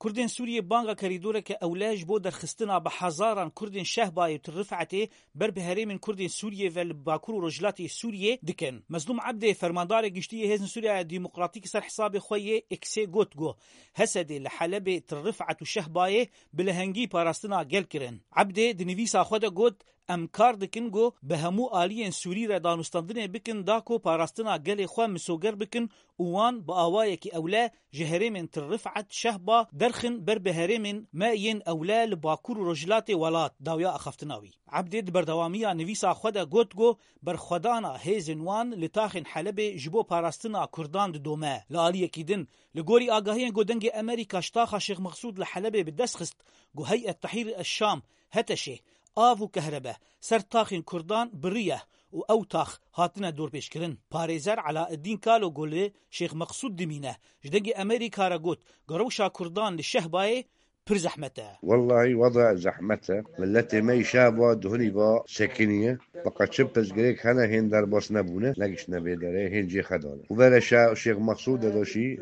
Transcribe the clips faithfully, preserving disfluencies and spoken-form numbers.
Kurdên Sûriyê banga kerîdoreke ewle ji bo derxistina bi hezaran Kurdên Şehbayê û Til Rifetê ber bi herêmên Kurdên Sûriyê ve li Bakur û Rojhilatê Sûriyê dikin. Mezlûm Ebdê, fermandarê giştî yê Hêzên Sûriya Demokratîk, ser hesabê xwe yê X-ê got ku H S D'ê li Helebê, Til Rifet û Şehbayê bi lehengî parastina gel kirin. Ebdê di nivîsa xwe de got, Em kar dikin ku bi hemû aliyên Sûrî re danûstandinê bikin da ku parastina gelê xwe misoger bikin û wan bi awayekî ewle ji herêmên Til Rifet, Şehba derxin ber bi herêmên me yên ewle li Bakur û Rojhilatê welat, dawiya axaftina wî. Ebdê di berdewamiya nivîsa xwe de got ku berxwedana hêzên wan li taxên Helebê ji bo parastina Kurdan didome. Li aliyekî din, li gorî agahiyên ku Dengê Amerîka ji taxa Şêx Mexsûd li Helebê bi dest xist, ku Heyet Tehrir el-Şam, HTŞê, av û kehrebe ser taxên Kurdan biriye û ew tax hatine dorpêçkirin. Parêzer Elaeddîn Kalo ku li Şêx Mexsûd dimîne, ji Dengê Amerîka re got ku rewşa Kurdan li Şehbayê pir zehmet e. Wellahî weda zehmet e. Miletê me îşa va duhunî va sekiniye. Feqet çi pirsgirêk hene hên derbas nebûne, negiştine vê derê, hên cê xedane. Û vere şa Şêx Mexsûd de de şî,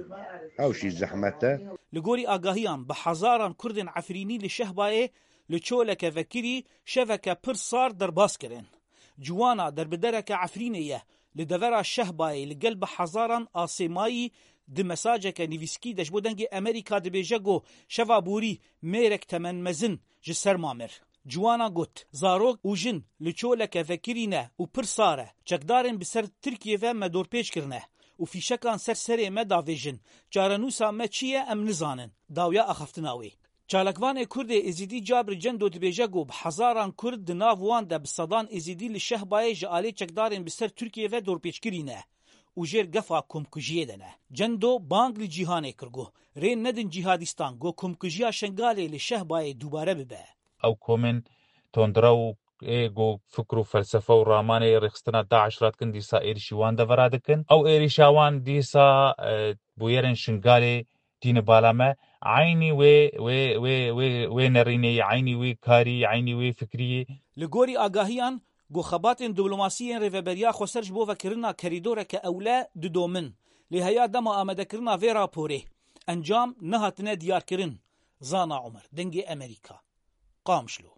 ew şî zehmet e. Li gorî agahiyan, bi hezaran Kurdên Efrînî li Şehbayê li çoleke vekirî şeveke pir sar derbas kirin. Ciwana derbidereke Efrînê ye, li devera Şehbayê li gel bi hezaran asê mayî di mesajeke nivîskî de ji bo Dengê Amerîka dibêje ku şeva borî mêrek temenmezin ji ser ma mir. Ciwana got, Zarok û jin li çoleke vekirî ne û pir sar e. Çekdarên bi ser Tirkiyê ve me dorpêç kirine û fîşekan ser serê me davêjin. Çarenûsa me çi ye em nizanin. Dawiya axaftina wê. Çalakvanê Kurdê Êzidî Cabir Cendo dibêje ku bi hezaran Kurd di nav wan de bi sedan Êzidî li Şehbayê ji alê çekdarên bi ser Tirkiyê ve dorpêçkirî ne û jêr gefa komkujiyê de ne. Cendo bang li cîhanê kir ku rê nedin cîhadîstan ku komkujiya Şengalê li Şehbayê dubare bibe. Ew komên tondrew ê ku fikr û felsefe û ramanê rêxistina DAIŞ radikin dîsa êrişî wan devera dikin. Ew êrişa wan dîsa, e, bûyerên Şingalê tîne bala me. Eynî wê, wê, wê, wê, wê nerînê yê, eynî wê karî, eynî wê fikrî yê. Li gorî agahiyan, ku xebatên diplomasî yên Rêveberiya Xweser ji bo vekirina kerîdoreke ewle didomin. Lê heya dema amadekirina vê raporê, encam nehatine diyarkirin. Zana Omer, Dengê Amerîka, Qamişlo.